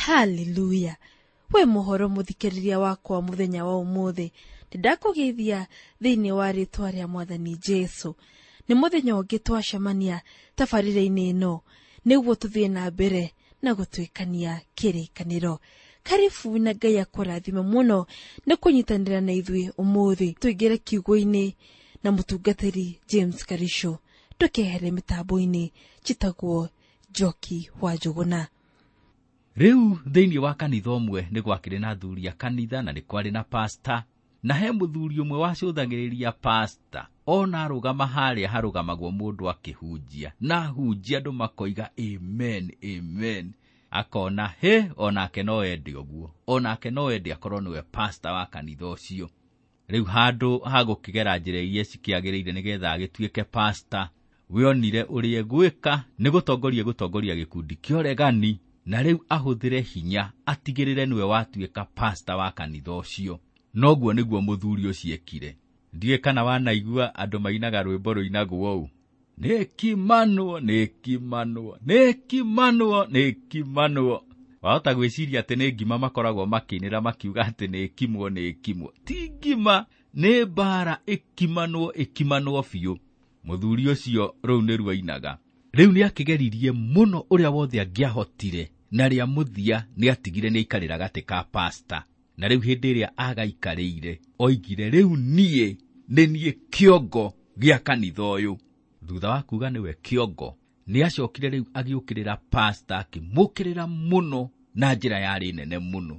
Haleluya! We muhoro muthikiriria wakwa muthenya wa umuthi, ndakũgeithia thĩinĩ wa rĩtwa rĩa Mwathani Jesu. Nĩ mũthenya ũngĩ twacemania tabarĩra-inĩ ĩno nĩguo tũthiĩ na mbere na gũtuĩkania kĩrĩkanĩro. Karibu na Ngai akũrathime mũno nĩ kũnyitanĩra na ithuĩ ũmũthĩ. Tũingĩre kiugo-inĩ na mũtungatĩri James Karisho. Ndũkehere mĩtambo-inĩ, njĩtagwo Njoki wa Njũgũna. Rĩu thĩinĩ wa kanitha ũmwe nĩ gwakĩrĩ na athuri a kanitha na nĩ kwarĩ na pasta, na he mũthuri ũmwe wacũthagĩrĩria pasta. Ona arũgama harĩa harũgamagwo mũndũ akĩhunjia, na ahunjia andũ makoiga amen amen, akona he onake no ende ũguo, onake no ende akorwo nĩwe pasta wa kanitha ũcio. Rĩu handũ ha gũkĩgera njĩra iria cikĩagĩrĩire nĩgetha agĩtuĩke pasta, we onire ũrĩa egwĩka nĩ gũtongoria gĩkundi kĩa ũregani, na rĩu ahũthĩre hinya atigĩrĩre nĩwe watuĩka pasta wa kanitha ũcio. Noguo nĩguo mũthuri ũcio ekire. Ndiũĩ kana wanaigua andũ mainaga rwĩmbo rũinagwo ũũ: nĩkimanwo, nĩkimanwo, nĩkimanwo, nĩkimanwo. Wahota gwĩciria atĩ nĩ ngima makoragwo makĩinĩra makiuga atĩ nĩkimwo, nĩkimwo. Ti ngima, nĩ mbara ĩkimanwo, ĩkimanwo biũ. Mũthuri ũcio rũu nĩruo ainaga. Rĩu nĩakĩgeririe mũno ũrĩa wothe angĩahotire, na rĩa mũthia nĩatigire nĩaikarĩra gatĩ ka pasta. Na rĩu hĩndĩ ĩrĩa agaikarĩire, oigire rĩu niĩ nĩ niĩ kĩongo gĩa kanitha ũyũ. Thutha wa kuga nĩwe kĩongo, nĩacokire rĩu agĩũkĩrĩra pasta, akĩmũkĩrĩra mũno na njĩra yarĩ nene mũno.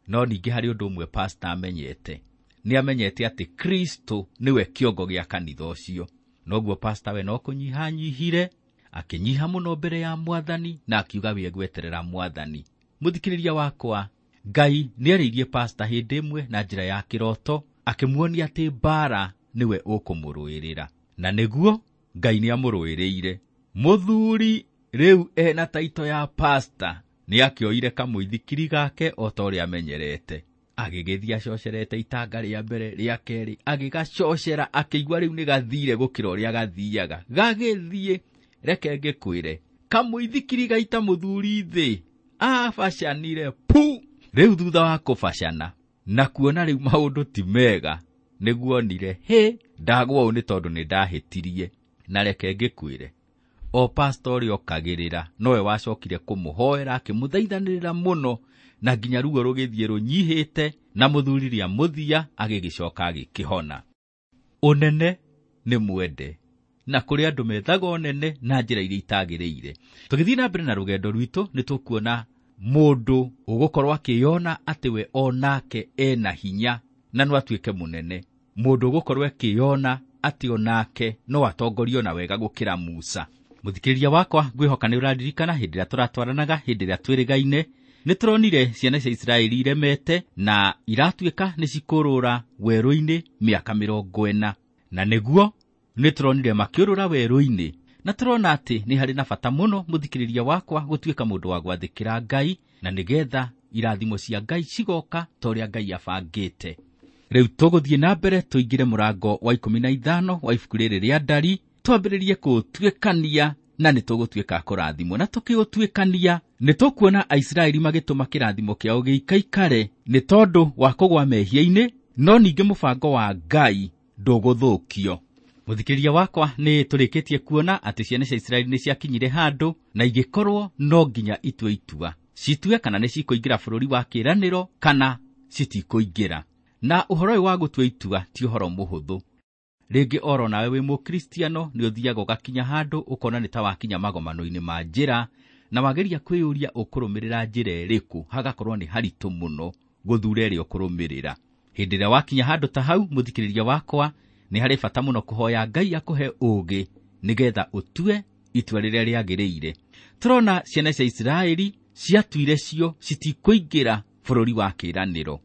No ningĩ harĩ ũndũ ũmwe pasta amenyete, nĩamenyete atĩ Kristo nĩwe kĩongo gĩa kanitha ũcio. Noguo pasta we no kũnyihanyihire, akĩnyiha mũno mbere ya Mwathani na akiuga we egweterera Mwathani. Mũthikĩrĩria wakwa, Ngai nĩarĩirie pasta hĩndĩ ĩmwe na njĩra ya kĩroto, akĩmuonia atĩ mbara nĩwe ũkũmũrũĩrĩra. Na nĩguo Ngai nĩamũrũĩrĩire. Mũthuri rĩu ena taito ya pasta nĩakĩoire kamũithikiri gake o ta ũrĩa amenyerete. Agĩgĩthiĩ acocerete itanga rĩa mbere, rĩa kerĩ, agĩgacocera, akĩigua rĩu nĩgathire gũkĩra ũrĩa gathiaga. Gagĩthiĩ, reke ngĩkwĩre, kamũithikiri gaita mũthuri thĩ, abacanire pu. Rĩu thutha wa kũbacana na kuona rĩu maũndũ ti mega, nĩguo onire hĩ, ndagwa ũũ nĩ tondũ nĩndahĩtirie. Na reke ngĩkwĩre, o pasta ũrĩa okagĩrĩra nowe wacokire kũmũhoera, akĩmũthaithanĩrĩra mũno, na nginya ruo rũgĩthiĩ rũnyihĩte, na mũthuri rĩa mũthia agĩgĩcoka agĩkĩhona. Ũnene nĩ mwende, na kũrĩ andũ methaga ũnene na njĩra iria itagĩrĩire. Tũgĩthiĩ na mbere na rũgendo rwitũ, nĩ tũkuona mũndũ ũgũkorwo akĩyona atĩ we onake ena hinya na no atuĩke mũnene. Mũndũ ũgũkorwo akĩyona atĩ onake no atongorio na wega gũkĩra Musa. Mũthikĩrĩria wakwa, ngwĩhoka nĩ ũraririkana hĩndĩ ĩrĩa tũratwaranaga, hĩndĩ ĩrĩa twĩrĩgaine, nĩ tũronire ciana cia Isiraeli iremete na iratuĩka nĩ cikũrũra werũ-inĩ mĩaka 40. Na nĩguo nĩ tũronire makĩũrũra werũ-inĩ, na tũrona atĩ nĩ harĩ na bata mũno mũthikĩrĩria wakwa gũtuĩka mũndũ wa gwathĩkĩra Ngai, na nĩgetha irathimo cia Ngai cigoka ta ũrĩa Ngai abangĩte. Rĩu tũgũthiĩ na mbere tũingĩre mũrango wa 15 wa ibuku rĩrĩ rĩa Ndari, twambĩrĩrie kũũtuĩkania, na nĩ tũgũtuĩka kũrathimwo. Na tũkĩũtuĩkania nĩ tũkuona Aisiraeli magĩtũma kĩrathimo kĩao gĩikaikare nĩ tondũ wa kũgwa mehia-inĩ, no ningĩ mũbango wa Ngai ndũgũthũkio. Mũthikĩrĩria wakwa, nĩ tũrĩkĩtie kuona atĩ ciana cia Isiraeli nĩ ciakinyire handũ na igĩkorwo no nginya itue itua, citue kana nĩ cikũingĩra bũrũri wa kĩĩranĩro kana citikũingĩra. Na ũhoro ũyũ wa gũtua itua ti ũhoro mũhũthũ. Rĩngĩ oro nawe wĩ mũkristiano nĩ ũthiaga ũgakinya handũ ũkona nĩ ta wakinya magomano-inĩ ma njĩra, na wageria kwĩyũria ũkũrũmĩrĩra njĩra ĩrĩkũ, hagakorwo nĩ haritũ mũno gũthura ĩrĩa ũkũrũmĩrĩra. Hĩndĩ ĩrĩa wakinya handũ ta hau, mũthikĩrĩria wakwa, nĩ harĩ bata mũno kũhoya Ngai akũhe ũũgĩ nĩgetha ũtue itua rĩrĩa rĩagĩrĩire. Tũrona ciana cia Isiraeli ciatuire cio citikũingĩra bũrũri wa kĩĩranĩro.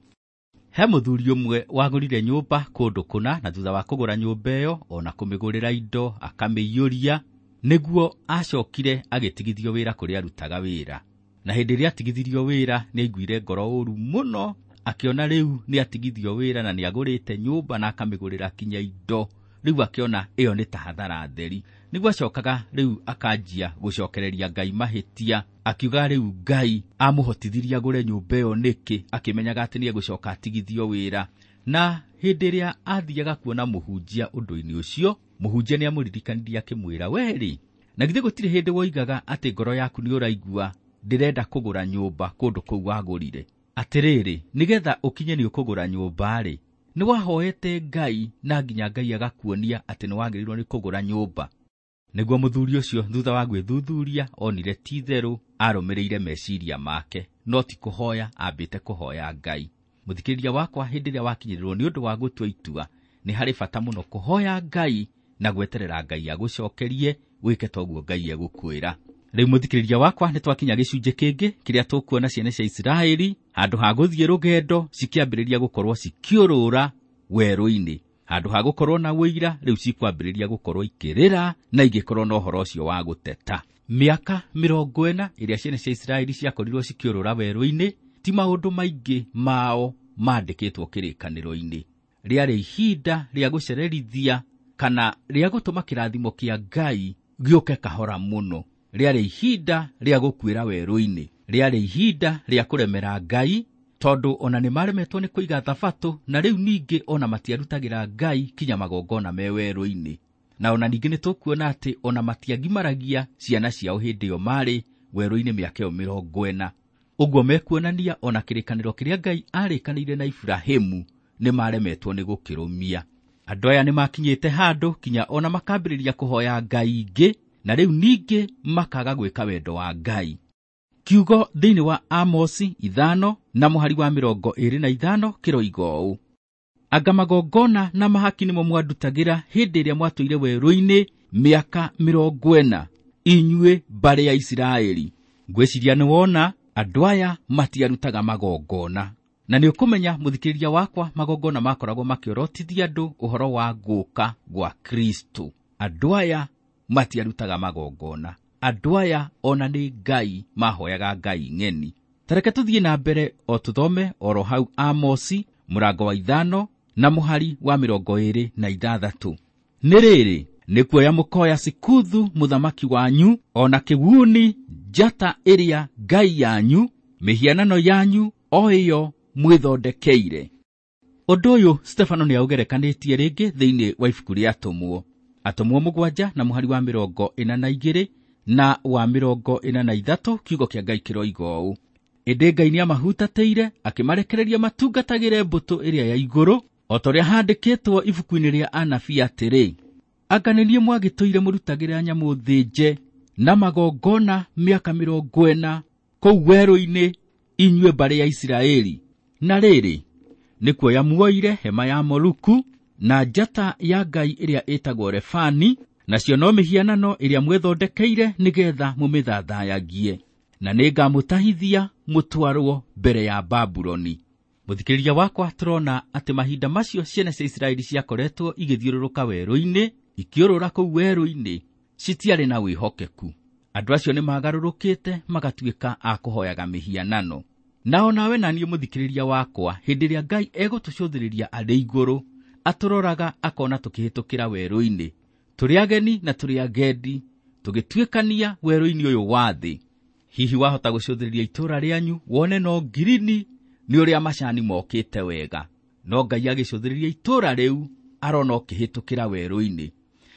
He mũthuri ũmwe wagũrire nyũmba kũndũ kũna, na thutha wa kũgũra nyũmba ĩyo ona kũmĩgũrĩra indo akamĩiyũria, nĩguo acokire agĩtigithio wĩra kũrĩa arutaga wĩra. Na hĩndĩ ĩrĩa atigithirio wĩra nĩ aiguire ngoro ũru mũno, akĩona rĩu nĩ atigithio wĩra na nĩ agũrĩte nyũmba na akamĩgũrĩra kinya indo. Rĩu akĩona ĩyo nĩ ta hathara theri. Nĩguo acokaga rĩu akanjia gũcokereria Ngai mahĩtia, akiuga rĩu Ngai amũhotithirie agũre nyũmba ĩyo nĩkĩ, akĩmenyaga atĩ nĩegũcoka atigithio wĩra. Na hĩndĩ ĩrĩa athiaga kuona mũhunjia ũndũ-inĩ ũcio, mũhunjia nĩamũririkanirie akĩmwĩra, we-rĩ, na githĩ gũtirĩ hĩndĩ woigaga atĩ ngoro yaku nĩ ũraigua ndĩrenda kũgũra nyũmba kũndũ kũu wagũrire? Atĩrĩrĩ, nĩgetha ũkinye nĩ ũkũgũra nyũmba-rĩ, nĩ wahoete Ngai na nginya Ngai agakuonia atĩ nĩ wagĩrĩirwo nĩ kũgũra nyũmba. Nĩguo mũthuri ũcio thutha wa gwĩthuthuria onire ti itherũ arũmĩrĩire meciria make, no ti kũhoya ambĩte kũhoya Ngai. Mũthikĩrĩria wakwa, hĩndĩ ĩrĩa wakinyĩrĩrwo nĩ ũndũ wa gũtua itua, nĩ harĩ bata mũno kũhoya Ngai na gweterera Ngai agũcokerie wĩke toguo Ngai egũkwĩra. Rĩu mũthikĩrĩria wakwa, nĩ twakinya gĩcunjĩ kĩngĩ kĩrĩa tũkuona ciana cia Isiraeli handũ ha gũthiĩ rũgendo cikĩambĩrĩria gũkorwo cikĩũrũra werũ-inĩ. Handũ ha gũkorwo na ũira, rĩu cikwambĩrĩria gũkorwo ikĩrĩra na igĩkorwo na ũhoro ũcio wa gũteta. Mĩaka 40 ĩrĩa ciana cia Isiraeli ciakorirwo cikĩũrũra werũ-inĩ, ti maũndũ maingĩ mao mandĩkĩtwo kĩrĩkanĩro-inĩ. Rĩarĩ ihinda rĩa gũcererithia kana rĩa gũtũma kĩrathimo kĩa Ngai gĩũke kahora mũno. Rĩarĩ ihinda rĩa gũkuĩra werũ-inĩ, rĩarĩ ihinda rĩa kũremera Ngai, tondũ ona nĩ maremetwo nĩ kũiga thabatũ, na rĩu ningĩ ona matiarutagĩra Ngai kinya magongona me werũ-inĩ. Na ona ningĩ nĩ tũkuona atĩ ona matiagimaragia ciana ciao hĩndĩ ĩyo marĩ werũ-inĩ mĩaka ĩyo 40. Ũguo mekuonania ona kĩrĩkanĩro kĩrĩa Ngai arĩkanĩire na Iburahĩmu nĩ maremetwo nĩ gũkĩrũmia. Andũ aya nĩ makinyĩte handũ kinya ona makambĩrĩria kũhoya Ngai ingĩ, na rĩu ningĩ makaga gwĩka wendo wa Ngai. Kiugo thĩinĩ wa Amosi 5 na mũhari wa 25 kĩroiga ũũ: anga magongona na mahaki nĩmo mwandutagĩra hĩndĩ ĩrĩa mwatũire werũ-inĩ mĩaka 40, inyuĩ mbarĩ ya Isiraeli. Ngwĩciria nĩ wona andũ aya matiarutaga magongona. Na nĩ ũkũmenya mũthikĩrĩria wakwa, magongona makoragwo makĩorotithia andũ ũhoro wa gũka gwa Kristo. Andũ aya matiarutaga magongona. Andũ aya ona nĩ Ngai mahoyaga Ngai ng'eni. Tareke tũthiĩ na mbere o tũthome oro hau Amosi mũrango wa 5 na mũhari wa 26. Nĩ rĩrĩ, nĩ kuoya mũkoya Sikuthu mũthamaki wanyu, ona kĩguni njata ĩrĩa Ngai yanyu, mĩhianano yanyu o ĩyo mwĩthondekeire. Ũndũ ũyũ Stefano nĩ aũgerekanĩtie rĩngĩ thĩinĩ wa ibuku rĩa Atũmwo. Atũmwo 7 na mũhari wa 42 na wa 43, kiugo kĩa Ngai kĩroiga ũũ: ĩndĩ Ngai nĩamahutatĩire akĩmarekereria matungatagĩre mbũtũ ĩrĩa ya igũrũ, o ta ũrĩa handĩkĩtwo ibuku-inĩ rĩa anabii atĩrĩ, anga nĩ niĩ mwagĩtũire mũrutagĩra nyamũ thĩnje na magongona mĩaka 40 kũu werũ-inĩ, inyuĩ mbarĩ ya Isiraeli. Na rĩrĩ, nĩ kuoya muoire hema ya Moluku na njata ya Ngai ĩrĩa ĩtagwo Refani, nacio no mĩhianano ĩrĩa mwĩthondekeire nĩgetha mũmĩthathayagie, na nĩngamũtahithia mũtwarwo mbere ya Babuloni. Mũthikĩrĩria wakwa, tũrona atĩ mahinda macio ciana cia Isiraeli ciakoretwo igĩthiũrũrũka werũ-inĩ, ikĩũrũra kũu werũ-inĩ, citiarĩ na wĩhokeku. Andũ acio nĩ magarũrũkĩte magatuĩka a kũhoyaga mĩhianano. Na onawe na niĩ mũthikĩrĩria wakwa, hĩndĩ ĩrĩa Ngai egũtũcũthĩrĩria arĩ igũrũ, atũroraga akona tũkĩhĩtũkĩra werũ-inĩ, tũrĩ ageni na tũrĩ agendi, tũgĩtuĩkania werũ-inĩ ũyũ wa thĩ. Hihi wahota gũcũthĩrĩria itũũra rĩanyu wone no ngirini nĩ ũrĩa macani mokĩte wega, no Ngai agĩcũthĩrĩria itũũra rĩu arona ũkĩhĩtũkĩra werũ-inĩ.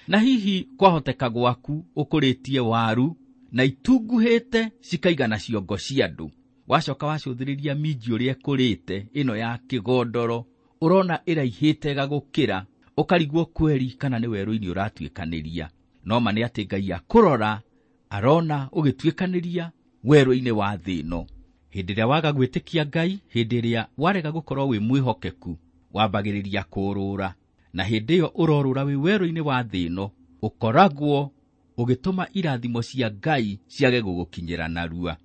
Na hihi kwahoteka gwaku ũkũrĩtie waru na itunguhĩte cikaigana ciongo cia andũ, wacoka wacũthĩrĩria minji ũrĩa ĩkũrĩte ĩno ya kĩgondoro, ũrona ĩraihĩte ĩgagũkĩra, ũkarigwo kweri kana nĩ werũ-inĩ ũratuĩkanĩria. No ma nĩ atĩ Ngai akũrora arona ũgĩtuĩkanĩria werũ-inĩ wa thĩ ĩno. Hĩndĩ ĩrĩa waga gwĩtĩkia Ngai, hĩndĩ ĩrĩa warega gũkorwo wĩ mwĩhokeku, wambagĩrĩria kũũrũra, na hĩndĩ ĩyo ũrorũra wĩ werũ-inĩ wa thĩ ĩno, ũkoragwo ũgĩtũma irathimo cia Ngai ciage gũgũkinyĩra narua.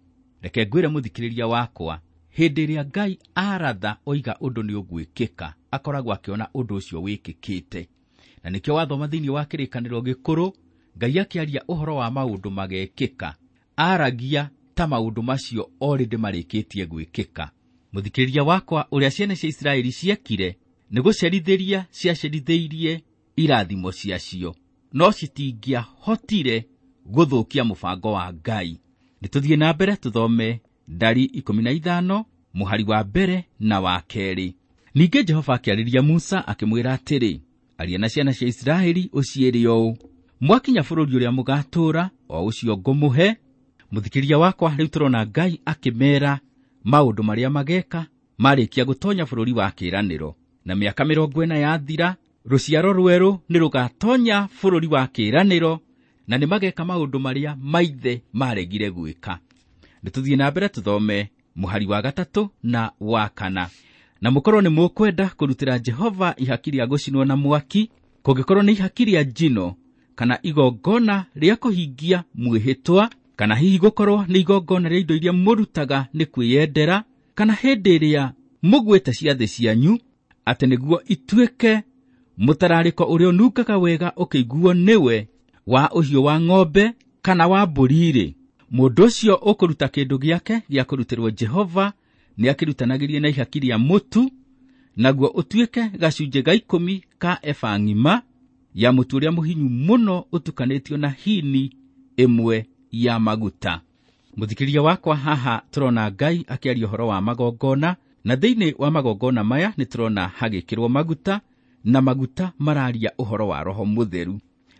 Reke ngwĩre mũthikĩrĩria wakwa, hĩndĩ ĩrĩa Ngai aratha oiga ũndũ nĩ ũgwĩkĩka, akoragwo akĩona ũndũ ũcio wĩkĩkĩte. Na nĩkĩo wathoma thĩinĩ wa kĩrĩkanĩro gĩkũrũ, Ngai akĩaria ũhoro wa maũndũ magekĩka, aragia ta maũndũ macio already marĩkĩtie gwĩkĩka. Mũthikĩrĩria wakwa, ũrĩa ciana cia Isiraeli ciekire nĩ gũcerithĩria ciacerithĩirie irathimo ciacio, no citingĩahotire gũthũkia mũbango wa Ngai. Nĩ tũthiĩ na mbere tũthome Ndari 15 mũhari wa mbere na wa kerĩ. Ningĩ Jehova akĩarĩria Musa akĩmwĩra atĩrĩ, aria na ciana cia Isiraeli ũciĩre ũũ, mwakinya bũrũri ũrĩa mũgatũũra, o ũcio ngũmũhe. Mũthikĩria wakwa, rĩu tũrona Ngai akĩmeera maũndũ marĩa mageka marĩkia gũtonya bũrũri wa kĩĩranĩro. Na mĩaka 40 yathira, rũciaro rwerũ nĩ rũgatonya bũrũri wa kĩĩranĩro, na nĩ mageka maũndũ marĩa maithe maregire gwĩka. Nĩ tũthiĩ na mbere tũthome mũhari wa 3 na wa 4. Na mũkorwo nĩ mũkwenda kũrutĩra Jehova ihaki rĩa gũcinwo na mwaki, kũngĩkorwo nĩ ihaki rĩa njino kana igongona rĩa kũhingia mwĩhĩtwa, kana hihi gũkorwo nĩ igongona rĩa indo iria mũrutaga nĩ kwĩyendera, kana hĩndĩ ĩrĩa mũgwĩte ciathĩ cianyu, atĩ nĩguo ituĩke mũtararĩko ũrĩa ũnungaga wega ũkĩiguo nĩwe, wa ũhiũ wa ng'ombe kana wa mbũri-rĩ, mũndũ ũcio ũkũruta kĩndũ gĩake gĩa kũrutĩrwo Jehova nĩakĩrutanagĩrie na ihaki rĩa mũtu, naguo ũtuĩke gacunjĩ ga 10 ka eba ng'ima ya mũtu ũrĩa mũhinyu mũno ũtukanĩtio na hini 1 ya maguta. Mũthikĩria wakwa, haha tũrona Ngai akĩaria ũhoro wa magongona, na thĩinĩ wa magongona maya nĩ tũrona hagĩkĩrwo maguta, na maguta mararia ũhoro wa Roho Mũtheru.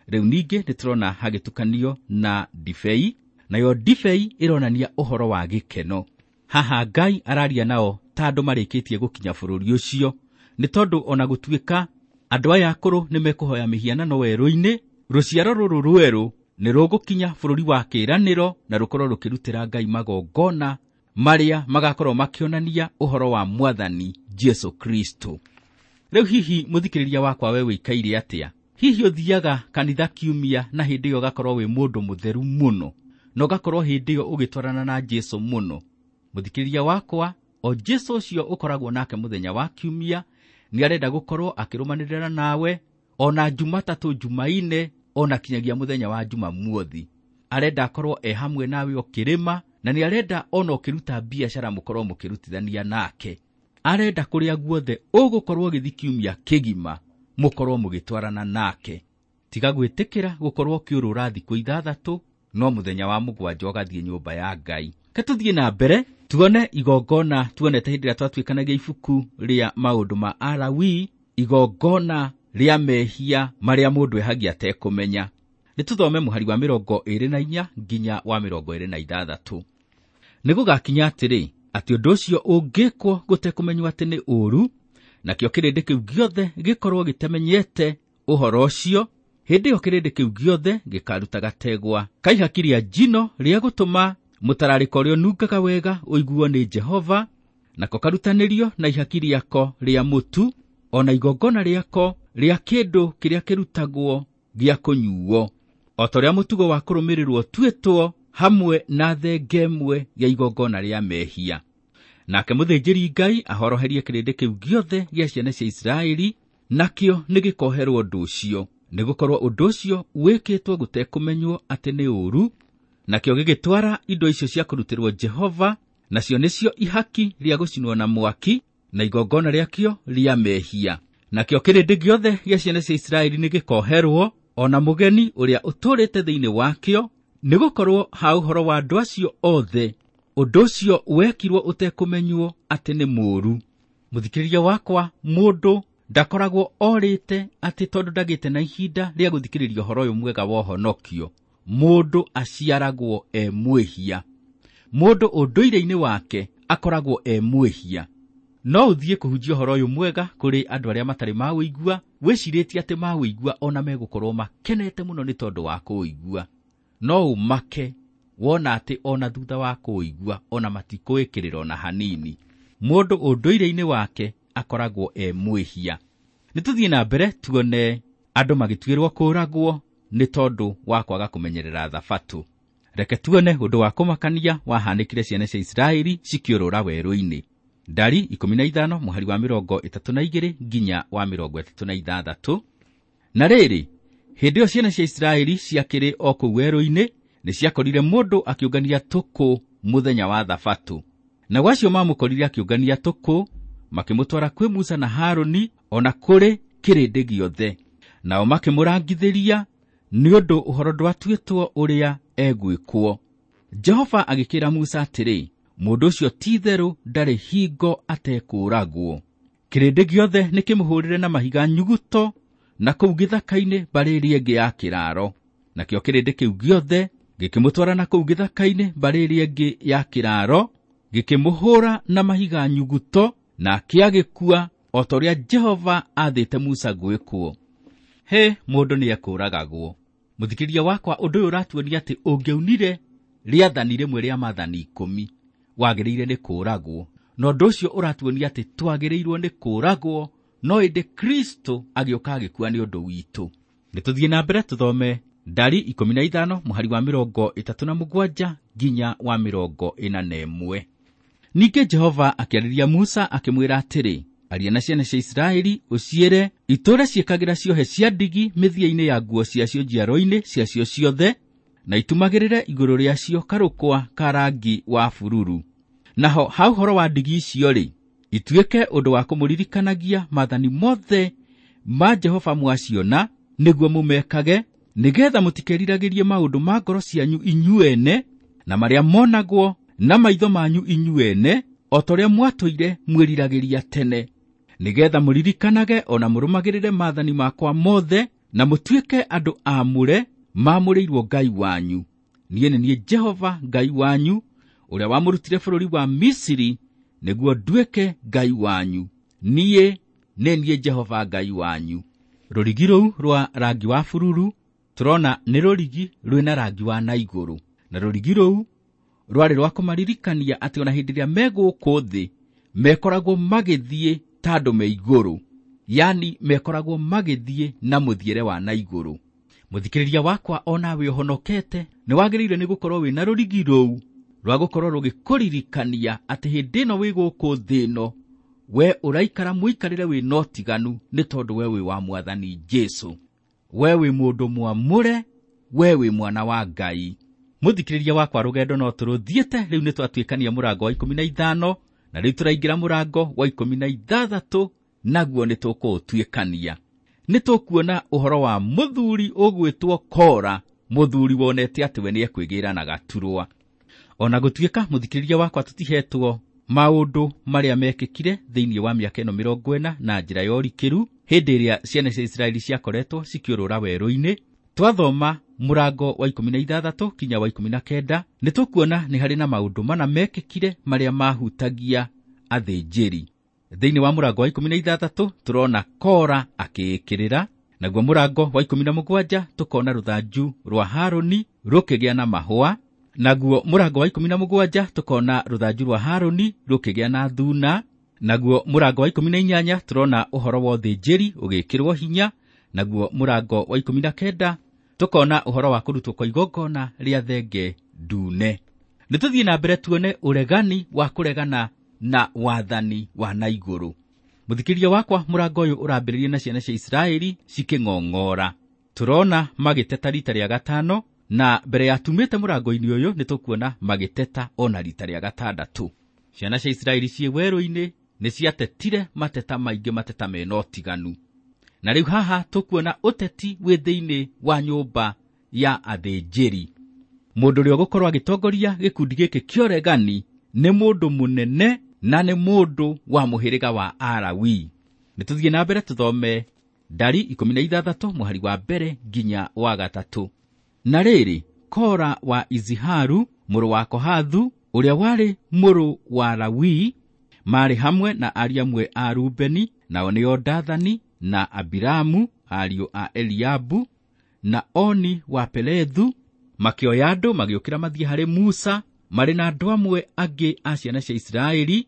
Rĩu ningĩ nĩ tũrona hagĩtukanio na ndibei, nayo ndibei ĩronania ũhoro wa gĩkeno. Haha Ngai araria nao ta andũ marĩkĩtie gũkinya bũrũri ũcio, nĩ tondũ ona gũtuĩka andũ aya akũrũ nĩ mekũhoya mĩhianano werũ-inĩ, rũciaro rũrũ rwerũ nĩ rũgũkinya bũrũri wa kĩĩranĩro na rũkorwo rũkĩrutĩra Ngai magongona marĩa magakorwo makĩonania ũhoro wa Mwathani Jesu Kristo. Rĩu hihi mũthikĩrĩria wakwa, we wĩikaire atĩa? Hihi ũthiaga kanitha kiumia na hĩndĩ ĩyo ũgakorwo wĩ mũndũ mũtheru mũno, na ũgakorwo hĩndĩ ĩyo ũgĩtwarana na Jesu mũno? Mũthikĩrĩria wakwa, o Jesu ũcio ũkoragwo nake mũthenya wa kiumia nĩ arenda gũkorwo akĩrũmanĩrĩra nawe ona Jumatatũ, Jumaine, ona kinyagia mũthenya wa Jumamothi. Arenda akorwo e hamwe nawe ũkĩrĩma, na nĩ arenda ona ũkĩruta biacara mũkorwo mũkĩrutithania nake. Arenda kũrĩa guothe ũgũkorwo ũgĩthiĩ kiumia kĩgima mũkorwo mũgĩtwarana nake. Tiga gwĩtĩkĩra gũkorwo ũkĩũrũra thikũ 6, no mũthenya wa 7 ũgathiĩ nyũmba ya Ngai. Ke tũthiĩ na mbere tuone igongona tuonete hĩndĩ ĩrĩa twatuĩkanagia ibuku rĩa maũndũ ma Alawii, igongona rĩa mehia marĩa mũndũ ehagia atekũmenya. Nĩ tũthome mũhari wa 24 nginya wa 26. Nĩ gũgakinya atĩrĩ, atĩ ũndũ ũcio ũngĩkwo gũtekũmenywo atĩ nĩ ũũru, nakĩo kĩrĩndĩ kĩu gĩothe gĩkorwo gĩtamenyete ũhoro ũcio, hĩndĩ ĩyo kĩrĩndĩ kĩu gĩothe gĩkaruta gategwa ka ihaki rĩa njino rĩa gũtũma mũtararĩko ũrĩa ũnungaga wega ũiguo nĩ Jehova, nako karutanĩrio na ihaki rĩako rĩa mũtu, ona igongona rĩako rĩa kĩndũ kĩrĩa kĩrutagwo gĩa kũnyuo, o ta ũrĩa mũtugo wa kũrũmĩrĩrwo ũtuĩtwo, hamwe na thenge ĩmwe ya igongona rĩa mehia. Nake mũthĩnjĩri Ngai ahoroherie kĩrĩndĩ kĩu gĩothe gĩa ciana cia Isiraeli, nakĩo nĩ gĩkoherwo ũndũ ũcio, nĩgũkorwo ũndũ ũcio wĩkĩtwo gũtekũmenywo atĩ nĩ ũũru. Nakĩo gĩgĩtwara indo icio cia kũrutĩrwo Jehova, nacio nĩcio ihaki rĩa gũcinwo na mwaki na igongona rĩakĩo rĩa mehia. Nakĩo kĩrĩndĩ gĩothe gĩa ciana cia Isiraeli nĩ gĩkoherwo, ona mũgeni ũrĩa ũtũũrĩte thĩinĩ wakĩo, nĩgũkorwo ha ũhoro wa andũ acio othe ũndũ ũcio wekirwo ũtekũmenywo atĩ nĩ mũũru. Mũthikĩrĩria wakwa, mũndũ ndakoragwo orĩte atĩ tondũ ndagĩte na ihinda rĩa gũthikĩrĩria ũhoro ũyũ mwega wa ũhonokio. Mũndũ aciaragwo e mwĩhia. Mũndũ ũndũire-inĩ wake akoragwo e mwĩhia. No ũthiĩ kũhunjia ũhoro ũyũ mwega kũrĩ andũ arĩa matarĩ mawĩigua, wĩcirĩtie atĩ mawĩigua ona megũkorwo makenete mũno nĩ tondũ wa kũũigua. No ũmake wona atĩ ona thutha wa kũũigua ona matikũĩkĩrĩra ona hanini. Mũndũ ũndũire-inĩ wake akoragwo e mwĩhia. Nĩ tũthiĩ na mbere tuone andũ magĩtuĩrwo kũũragwo nĩ tondũ wa kwaga kũmenyerera Thabatũ. Reke tuone ũndũ wa kũmakania wahanĩkire ciana cia Isiraeli cikĩũrũra werũ-inĩ. Ndari 15 mũhari wa 32 nginya wa 36. Na rĩrĩ, hĩndĩ ĩyo ciana cia Isiraeli ciakĩrĩ o kũu werũ-inĩ, nĩ ciakorire mũndũ akĩũngania tũkũ mũthenya wa Thabatũ. Nao acio mamũkorire akĩũngania tũkũ, makĩmũtwara kwĩ Musa na Harũni, ona kũrĩ kĩrĩndĩ gĩothe. Nao makĩmũrangithĩria nĩ ũndũ ũhoro ndwatuĩtwo ũrĩa egwĩkwo. Jehova agĩkĩra Musa atĩrĩ, mũndũ ũcio ti-itherũ ndarĩ hingo atekũũragwo. Kĩrĩndĩ gĩothe nĩkĩmũhũũrĩre na mahiga nyuguto na kũu gĩthaka-inĩ mbarĩ ĩrĩa ĩngĩ ya kĩraaro. Nakĩo kĩrĩndĩ kĩu gĩothe gĩkĩmũtwara na kũu gĩthaka-inĩ mbarĩ ĩrĩa ĩngĩ ya kĩraaro, gĩkĩmũhũũra na mahiga nyuguto, nake agĩkua o ta ũrĩa Jehova aathĩte Musa gwĩkwo. Hĩ, mũndũ nĩekũũragagwo. Mũthikĩrĩria wakwa, ũndũ ũyũ ũratuonia atĩ ũngĩaunire rĩathani rĩmwe rĩa maathani 10 wagĩrĩire nĩ kũũragwo. Na ũndũ ũcio ũratuonia atĩ twagĩrĩirwo nĩ kũũragwo, no ĩndĩ Kristo agĩũka agĩkua nĩ ũndũ witũ. Nĩ tũthiĩ na mbere tũthome Ndari 15 mũhari wa 37 nginya wa 41. Ningĩ Jehova akĩarĩria Musa akĩmwĩra atĩrĩ, aria na ciana cia Isiraeli ũciĩre itũũre ciĩkagĩra ciohe cia ndigi mĩthia-inĩ ya nguo ciacio njiaro-inĩ ciacio ciothe, na itumagĩrĩre igũrũ rĩacio karũkwa ka rangi wa bururu. Naho ha ũhoro wa ndigi icio-rĩ, ituĩke ũndũ wa kũmũririkanagia maathani mothe ma Jehova mwaciona, nĩguo mũmekage, nĩgetha mũtikeriragĩrie maũndũ ma ngoro cianyu inyuene na marĩa monagwo na maitho manyu inyuene, o ta ũrĩa mwatũire mwĩriragĩria tene, nĩgetha mũririkanage o na mũrũmagĩrĩre maathani makwa mothe, na mũtuĩke andũ aamũre maamũrĩirwo Ngai wanyu. Niĩ nĩ niĩ Jehova Ngai wanyu, ũrĩa wamũrutire bũrũri wa Misiri nĩguo nduĩke Ngai wanyu. Niĩ nĩ niĩ Jehova Ngai wanyu. Rũrigi rũu rwa rangi wa bururu tũrona nĩ rũrigi rwĩna rangi wa na igũrũ, na rũrigi rũu rwarĩ rwa kũmaririkania atĩ ona hĩndĩ ĩrĩa me gũkũ thĩ mekoragwo magĩthiĩ ta andũ me igũrũ, yani mekoragwo magĩthiĩ na mũthiĩre wa na igũrũ. Mũthikĩrĩria wakwa, onawe ũhonokete nĩ wagĩrĩire nĩ gũkorwo wĩna rũrigi rũu rwa gũkorwo rũgĩkũririkania atĩ hĩndĩ ĩno wĩ gũkũ thĩ ĩno we ũraikara mũikarĩre wĩna ũtiganu, nĩ tondũ we wĩ wa Mwathani Jesũ, we wĩ mũndũ mwamũre, we wĩ mwana wa Ngai. Mũthikĩrĩria wakwa, rũgendo no tũrũthiĩte. Rĩu nĩ twatuĩkania mũrango wa 15 na rĩu tũraingĩra mũrango wa 16, naguo nĩ tũkũũtuĩkania. Nĩ tũkuona ũhoro wa mũthuri ũgwĩtwo Kora, mũthuri wonete atĩ we nĩekwĩgĩra na gaturwa. Ona gũtuĩka mũthikĩrĩria wakwa tũtihetwo maũndũ marĩa mekĩkire thĩinĩ wa mĩaka ĩno 40 na njĩra ya ũrikĩru hĩndĩ ĩrĩa ciana cia Isiraeli ciakoretwo cikĩũrũra werũ-inĩ, twathoma mũrango wa 16 kinya wa 19 nĩ tũkuona nĩ harĩ na maũndũ mana mekĩkire marĩa mahutagia athĩnjĩri. Thĩinĩ wa mũrango wa 16 tũrona Kora akĩĩkĩrĩra, naguo mũrango wa 17 tũkona rũthanju rwa Harũni rũkĩgĩa na mahũa, naguo mũrango wa 17 tũkona rũthanju rwa Harũni rũkĩgĩa na thuna, naguo mũrango wa 18 tũrona ũhoro wa ũthĩnjĩri ũgĩkĩrwo hinya, naguo mũrango wa 19 tũkona ũhoro wa kũrutwo kwa igongona rĩa thenge ndune. Nĩ tũthiĩ na mbere tuone ũregani wa kũregana na wathani wa na igũrũ. Mũthikĩrĩria wakwa, mũrango ũyũ ũrambĩrĩria na ciana cia Isiraeli cikĩng'ong'ora. Tũrona magĩteta rita rĩa gatano, na mbere ya tumĩte mũrango-inĩ ũyũ nĩ tũkuona magĩteta ona rita rĩa gatandatũ. Ciana cia Isiraeli ciĩ werũ-inĩ nĩ ciatetire mateta maingĩ, mateta mena ũtiganu. Na rĩu haha tũkuona ũteti wĩ thĩinĩ wa nyũmba ya athĩnjĩri. Mũndũ ũrĩa ũgũkorwo agĩtongoria gĩkundi gĩkĩ kĩa ũregani nĩ mũndũ mũnene na nĩ mũndũ wa mũhĩrĩga wa Alawi. Nĩ tũthiĩ na mbere tũthome Ndari 16 mũhari wa 1 nginya wa 3. Na rĩrĩ, Kora wa Iziharu mũrũ wa Kohathu ũrĩa warĩ mũrũ wa Lawi marĩ hamwe na ariũ amwe a Rubeni, nao nĩo Dathani na Abiramu ariũ a Eliabu na Oni wa Pelethu, makĩoya andũ magĩũkĩra mathiĩ harĩ Musa marĩ na andũ amwe angĩ a ciana cia Isiraeli,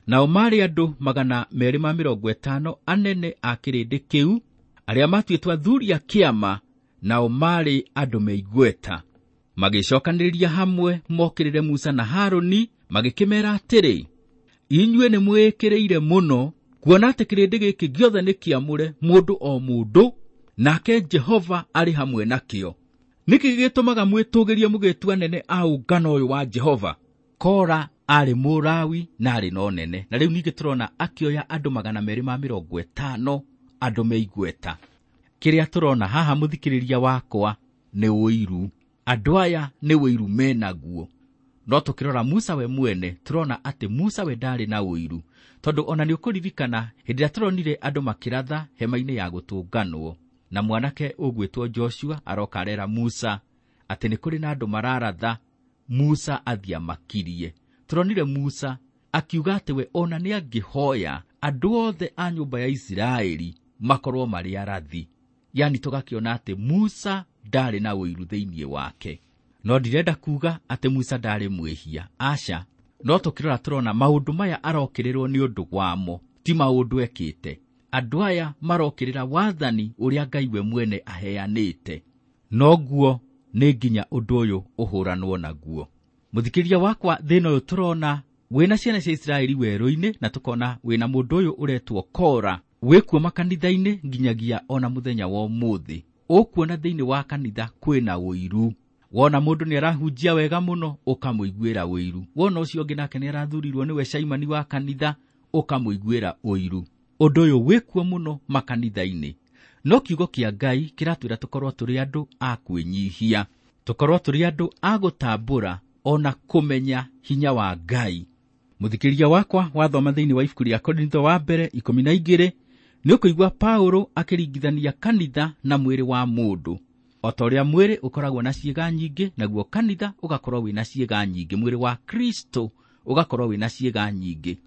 nao marĩ andũ 250 anene a kĩrĩndĩ kĩu arĩa matuĩtwo athuri a kĩama, nao marĩ andũ me igweta. Magĩcokanĩrĩria hamwe mokĩrĩre Musa na Harũni, magĩkĩmeera atĩrĩ, inyuĩ nĩ mwĩĩkĩrĩire mũno kuona atĩ kĩrĩndĩ gĩkĩ gĩothe nĩ kĩamũre mũndũ o mũndũ, nake Jehova arĩ hamwe nakĩo. Nĩkĩ gĩtũmaga mwĩtũgĩrie mũgĩtua anene a ũngano ũyũ wa Jehova? Kora arĩ Mũlawi na arĩ na ũnene, na rĩu ningĩ tũrona akĩoya andũ 250 andũ me igweta. Kĩrĩa tũrona haha mũthikĩrĩria wakwa nĩ ũiru. Andũ aya nĩ ũiru menaguo. No tũkĩrora Musa we mwene tũrona atĩ Musa we ndarĩ na ũiru, tondũ ona nĩ ũkũririkana hĩndĩ ĩrĩa tũronire andũ makĩratha hema-inĩ ya gũtũnganwo, na mwanake ũgwĩtwo Joshua aroka arera Musa atĩ nĩ kũrĩ na andũ mararatha, Musa athiĩ amakirie. Tũronire Musa akiuga atĩ we ona nĩ angĩhoya andũ othe a nyũmba ya Isiraeli makorwo marĩ arathi. Yani tũgakĩona atĩ Musa ndarĩ na ũiru thĩinĩ wake. No ndirenda kuga atĩ Musa ndarĩ mwĩhia, aca. No tũkĩrora tũrona maũndũ maya arokĩrĩrwo nĩ ũndũ wamo, ti maũndũ ekĩte. Andũ aya marokĩrĩra wathani ũrĩa Ngai we mwene aheanĩte. Noguo nĩ nginya ũndũ ũyũ ũhũranwo naguo. Mũthikĩrĩria wakwa, thĩna ũyũ tũrona wĩna ciana cia Isiraeli werũ-inĩ, na tũkona wĩna mũndũ ũyũ ũretwo Kora, wĩkuo makanitha-inĩ nginyagia ona mũthenya wa ũmũthĩ. Ũkuona thĩinĩ wa kanitha kwĩna ũiru. Wona mũndũ nĩ arahunjia wega mũno, ũkamũiguĩra ũiru. Wona ũcio ũngĩ nake nĩ arathurirwo nĩwe caimani wa kanitha, ũkamũiguĩra ũiru. Ũndũ ũyũ wĩkuo mũno makanitha-inĩ. No kiugo kĩa Ngai kĩratwĩra tũkorwo tũrĩ andũ a kwĩnyihia, tũkorwo tũrĩ andũ a gũtambũra ona kũmenya hinya wa Ngai. Mũthikĩrĩria wakwa, wathoma thĩinĩ wa ibuku rĩa Korintho wa mbere 12, nĩ ũkũigua Paulo akĩringithania kanitha na mwĩrĩ wa mũndũ. O ta ũrĩa mwĩrĩ ũkoragwo na ciĩga nyingĩ, naguo kanitha ũgakorwo wĩna ciĩga nyingĩ, mwĩrĩ wa Kristo ũgakorwo wĩna ciĩga nyingĩ.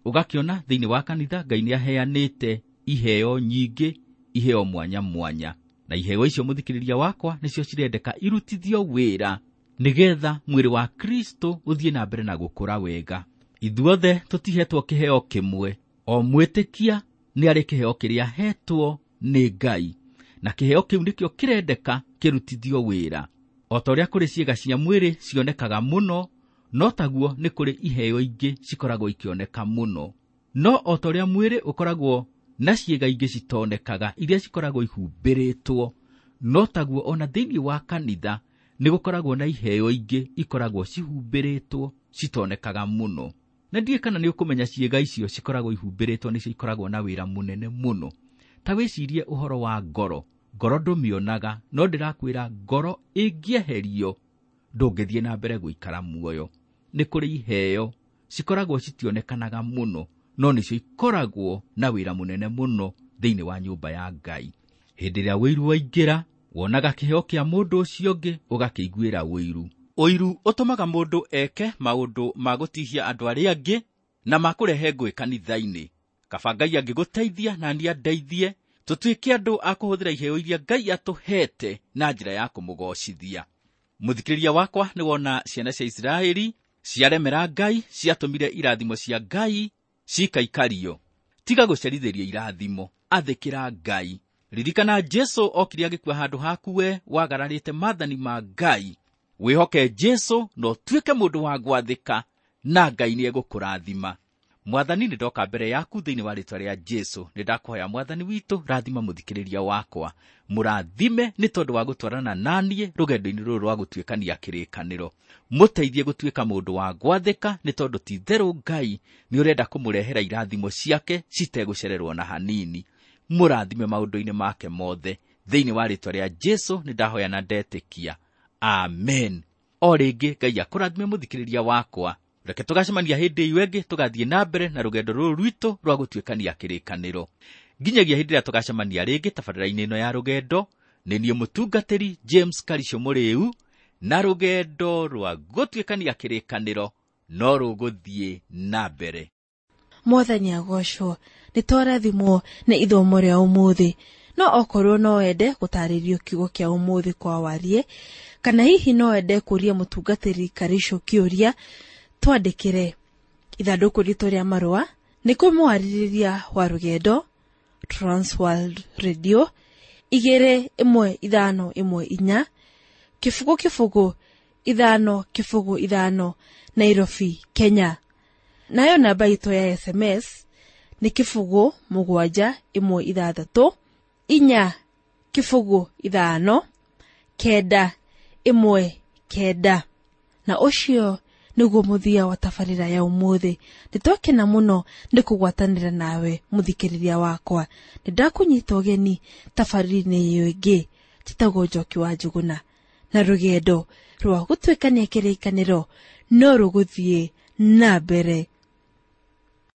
Ũgakĩona thĩinĩ wa kanitha Ngai nĩ aheanĩte iheo nyingĩ, iheo mwanya mwanya, na iheo icio mũthikĩrĩria wakwa nĩcio cirendeka irutithio wĩra nĩgetha mwĩrĩ wa Kristo ũthiĩ na mbere na gũkũra wega. Ithuothe tũtihetwo kĩheo kĩmwe, o mwĩtĩkia nĩ arĩ kĩheo kĩrĩa ahetwo nĩ Ngai, na kĩheo kĩu nĩkĩo kĩrendeka kĩrutithio wĩra. O ta ũrĩa kũrĩ ciĩga cia mwĩrĩ cionekaga mũno, no taguo nĩ kũrĩ iheo ingĩ cikoragwo ikĩoneka mũno. No o ta ũrĩa mwĩrĩ ũkoragwo na ciĩga ingĩ citonekaga iria cikoragwo ihumbĩrĩtwo, no taguo ona thĩinĩ wa kanitha nĩ gũkoragwo na iheo ingĩ ikoragwo cihumbĩrĩtwo citonekaga mũno. Na ndiũĩ kana nĩ ũkũmenya ciĩga icio cikoragwo ihumbĩrĩtwo nĩcio ikoragwo na wĩra mũnene mũno. Ta wĩcirie ũhoro wa ngoro. Ngoro ndũmĩonaga, no ndĩrakwĩra ngoro ĩngĩeherio ndũngĩthiĩ na mbere gũikara muoyo. Nĩ kũrĩ iheo cikoragwo citionekanaga mũno, no nĩcio ikoragwo na wĩra mũnene mũno thĩinĩ wa nyũmba ya Ngai. Hĩndĩ ĩrĩa ũiru waingĩra, wonaga kĩheo kĩa mũndũ ũcio ũngĩ ũgakĩiguĩra ũiru. Ũiru ũtũmaga mũndũ eke maũndũ ma gũtihia andũ arĩa angĩ na ma kũrehe ngũĩ kanitha-inĩ. Kaba Ngai angĩgũteithia na niĩ andeithie, tũtuĩke andũ a kũhũthĩra iheo iria Ngai atũhete na njĩra ya kũmũgocithia. Mũthikĩrĩria wakwa, nĩ wona ciana cia Isiraeli ciaremera Ngai, ciatũmire irathimo cia Ngai cikaikario. Tiga gũcerithĩria irathimo, athĩkĩra Ngai. Ririkana Jesu okire agĩkua handũ haku we wagararĩte maathani ma Ngai. Wĩhoke Jesu na ũtuĩke mũndũ wa gwathĩka, na Ngai nĩ egũkũrathima. Mwathani, nĩ ndoka mbere yaku thĩinĩ wa rĩĩtwa rĩa Jesu. Nĩ ndakũhoya Mwathani witũ, rathima mũthikĩrĩria wakwa. Mũrathime nĩ tondũ wa gũtwarana naniĩ rũgendo-inĩ rũrũ rwa gũtuĩkania kĩrĩkanĩro. Mũteithie gũtuĩka mũndũ wa gwathĩka, nĩ tondũ ti itherũ Ngai nĩ ũrenda kũmũrehera irathimo ciake citegũcererwo na hanini. Mũrathime maũndũ-inĩ make mothe. Thĩinĩ wa rĩĩtwa rĩa Jesu nĩ ndahoya na ndetĩkia. Amen. O rĩngĩ Ngai akũrathime mũthikĩrĩria wakwa. Reke tũgacemania hĩndĩ ĩyo ĩngĩ, tũgathiĩ na mbere na rũgendo rũrũ rwitũ rwa gũtuĩkania kĩrĩkanĩro. Nginyagia hĩndĩ ĩrĩa tũgacemania rĩngĩ tabarĩra-inĩ ĩno ya rũgendo, nĩ niĩ mũtungatĩri James Karisho Mũrĩu, na rũgendo rwa gũtuĩkania kĩrĩkanĩro no rũgũthiĩ na mbere. Mwathani agocwo, nĩ twarathimwo nĩ ithomo rĩa ũmũthĩ. No okorwo no wende gũtarĩrio kiugo kĩa ũmũthĩ kwa warie, kana hihi no wende kũria mũtungatĩri Karisho kĩũria, twandĩkĩre ithandũkũ ritũ rĩa marũa nĩ kũmwarĩrĩria wa rũgendo Transworld Radio 21514 0 0 5 0 5 Nairobi, Kenya. Nayo namba itũ ya SMS nĩ 0 7 1 6 4 0 5 9 1 9. Na ũcio Nĩguo mũthia wa tabarĩra ya ũmũthĩ. Nĩtwakena mũno nĩ kũgwatanĩra nawe mũthikĩrĩria wakwa. Nĩndakũnyita ũgeni tabarĩra-inĩ ĩyo ĩngĩ njĩtagwo Njoki wa Njũgũna, na rũgendo rwa gũtuĩkania kĩrĩkanĩro no rũgũthiĩ na mbere.